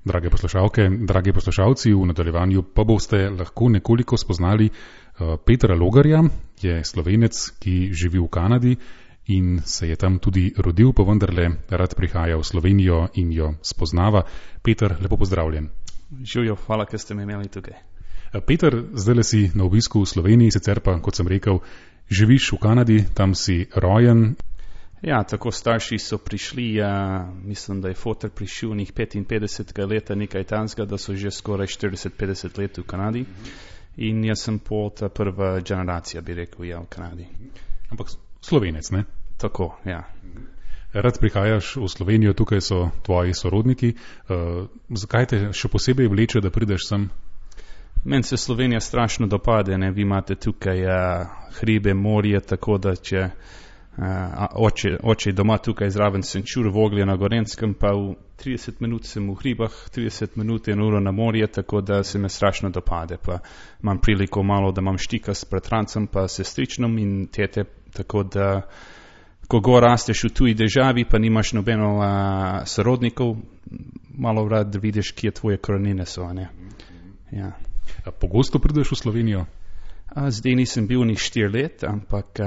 drage poslušalke, dragi poslušalci, v nadaljevanju pa boste lahko nekoliko spoznali Petra Logarja, je Slovenec, ki živi v Kanadi in se je tam tudi rodil, pa vendarle rad prihaja v Slovenijo in jo spoznava. Peter, lepo pozdravljen. Živjo, hvala, ker ste me imeli tukaj. Peter, zdaj si na obisku v Sloveniji, sicer pa, kot sem rekel, živiš v Kanadi, tam si rojen. Ja, tako starši so prišli, mislim, da je foter prišel njih 55 leta, nekaj tanskega, da so že skoraj 40-50 let v Kanadi. In jaz sem ta prva generacija, bi rekel, v Kanadi. Ampak Slovenec, ne? Tako, ja. Rad prihajaš v Slovenijo, tukaj so tvoji sorodniki. Zakaj te še posebej vleče, da prideš sem? Meni se Slovenija strašno dopade, ne? Vi imate tukaj hribe, morje, tako da če oče doma tukaj zraven sem čur Voglje na Gorenskem, pa v 30 minut sem v hribah, 30 minut in uro na morje, tako da se me strašno dopade. Pa imam priliko malo, da imam štika s bratrancem, pa sestričnom in tete, tako da ko go rasteš v tuji državi, pa nimaš nobeno sorodnikov, malo rad vidiš, kje tvoje korenine so, ne? Ja. Pogosto prideš v Slovenijo? Zdaj nisem bil njih 4 let, ampak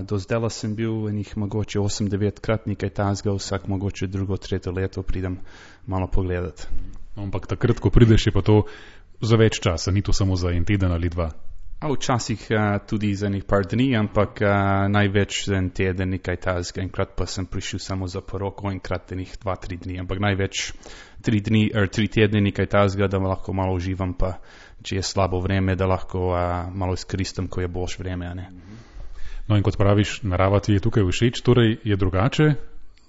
do zdaj sem bil njih mogoče 8-9 krat, nekaj tazga, vsak mogoče drugo, tretje leto pridem malo pogledati. Ampak takrat, ko prideš, je pa to za več časa, ni to samo za en teden ali dva? Včasih tudi za nekaj par dni, ampak največ za en teden, nekaj tazga. Enkrat pa sem prišel samo za poroko, enkrat nekaj 2-3 dni, ampak največ 3 tedne nekaj tazga, da lahko malo uživam, pa če je slabo vreme, da lahko malo izkoristim, ko je boljše vreme. Ne? No in kot praviš, narava ti je tukaj všeč, torej je drugače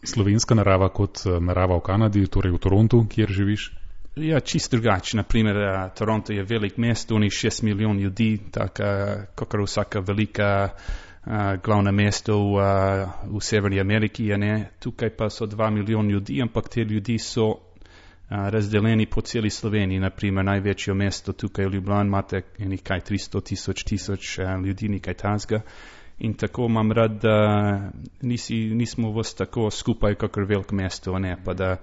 slovenska narava kot narava v Kanadi, torej v Torontu, kjer živiš? Ja, čist drugače. Naprimer, Toronto je velik mesto, oni 6 milijon ljudi, tako kakor vsaka velika glavna mesto v Severni Ameriki. Ne? Tukaj pa so 2 milijon ljudi, ampak te ljudi so razdeljeni po celi Sloveniji. Naprimer, največje mesto tukaj v Ljubljani imate nekaj 300 ljudi, nekaj tazga. In tako imam rad, da nismo vsi tako skupaj, kakor veliko mesto, ne, pa da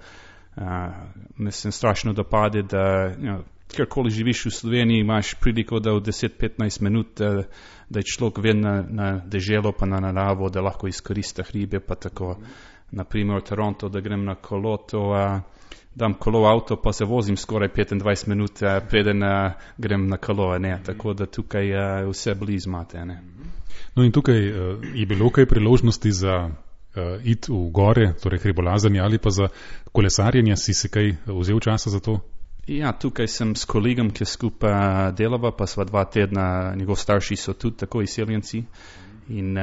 me se strašno dopade, da kjerkoli živiš v Sloveniji, imaš priliko, da v 10-15 minut, da je človek ven na deželo, pa na naravo, da lahko izkorista hribe, pa tako. Naprimer, v Toronto, da grem na kolo, dam kolo v avto, pa se vozim skoraj 25 minut, preden grem na kolo, ne, tako da tukaj vse blizu imate, ne. No in tukaj je bilo kaj priložnosti za iti v gore, torej hribolazanje ali pa za kolesarjenje, si se kaj vzel časa za to? Ja, tukaj sem s kolegom, ki skupaj delava, pa sva 2 tedna, njegov starši so tudi tako izseljenci in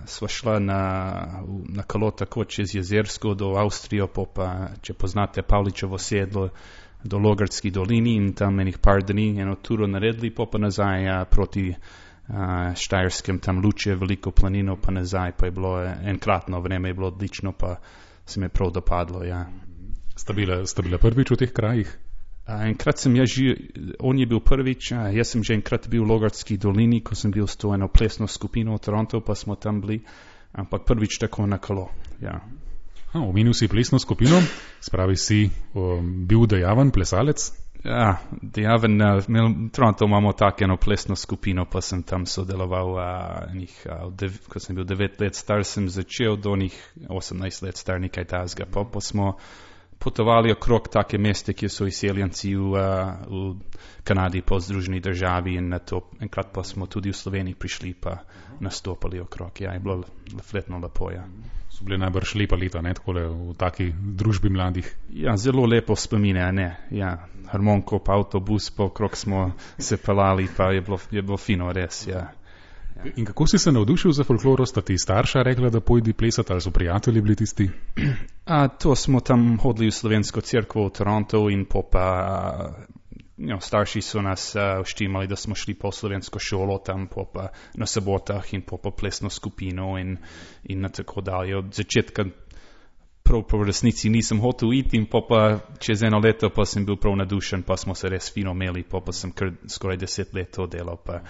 sva šla na kolo tako čez Jezersko do Avstrijo, pa če poznate Pavličevo sedlo do Logarski dolini in tam enih par dni eno turo naredili, pa nazaj proti Štajerskem, tam Luče, veliko planino, pa nazaj, pa je bilo enkratno vreme, je bilo odlično, pa se mi je prav dopadlo, ja. Sta bila prvič v teh krajih? Enkrat sem on je bil prvič, jaz sem že enkrat bil v Logarski dolini, ko sem bil s to eno plesno skupino v Toronto, pa smo tam bili, ampak prvič tako na kolo, ja. Omenil si plesno skupino, spravi si bil dejaven plesalec? Ja, dejaven, v Toronto imamo tako eno plesno skupino, pa sem tam sodeloval, ko sem bil 9 let star, sem začel do njih 18 let star, nekaj tazga, pa smo potovali okrog take meste, ki so izseljenci v Kanadi, pa v Združeni državi in na to. Enkrat pa smo tudi v Sloveniji prišli, pa nastopali okrog. Ja, je bilo fletno lepo, ja. So bile najbrž lepa leta, ne, takole v taki družbi mladih? Ja, zelo lepo spomine, ne, ja. Harmonko, pa avtobus, pa okrog smo se pelali, pa je bilo fino, res, ja. In kako si se navdušil za folkloro? Sta ti starša rekla, da pojdi plesati, ali so prijatelji bili tisti? To smo tam hodili v slovensko cerkev v Toronto in starši so nas vštimali, da smo šli po slovensko šolo tam pa na sobotah in po plesno skupino in na tako dalje. Od začetka prav po resnici nisem hotel iti in pa čez eno leto pa sem bil prav nadušen, pa smo se res fino imeli, pa sem kar skoraj 10 let to delal, pa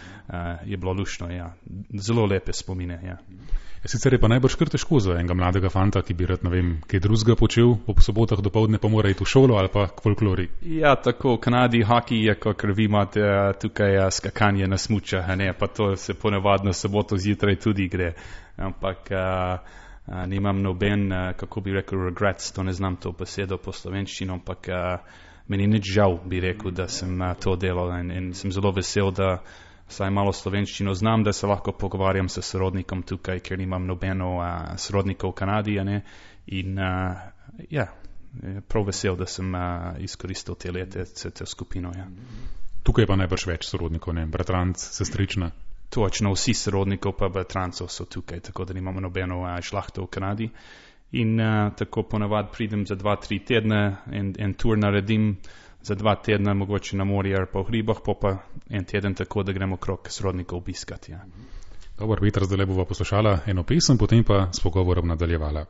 je bilo lušno, ja. Zelo lepe spomine, ja. Sicer je pa najbrž kar težko za enega mladega fanta, ki bi rad, ne vem, kaj drugega počel, ob sobotah dopoldne pa mora iti v šolo ali pa k folklori. Ja, tako, v Kanadi hokej je, kot vi imate tukaj skakanje na smučah, ne, pa to se ponavadno soboto zjutraj tudi gre, ampak nimam noben, kako bi rekel, regrets, to ne znam to besedo po slovenščino, ampak meni nič žal, bi rekel, da sem to delal in sem zelo vesel, da saj malo slovenščino znam, da se lahko pogovarjam s sorodnikom tukaj, ker nimam nobeno sorodnikov v Kanadi, ne? In prav vesel, da sem izkoristil te lete, te skupino. Ja. Tukaj pa najbrž več sorodnikov, ne? Bratranc, sestrična. Točno, vsi sorodnikov pa bratrancov so tukaj, tako da nimamo nobeno šlahto v Kanadi. In tako ponavad pridem za 2-3 tedne in tur naredim za 2 tedna, mogoče na morje ali pa v hribah, pa en teden tako, da gremo krok sorodnikov obiskati. Ja. Dobro, Peter, zdaj le bova poslušala eno pesem, potem pa s pogovorom nadaljevala.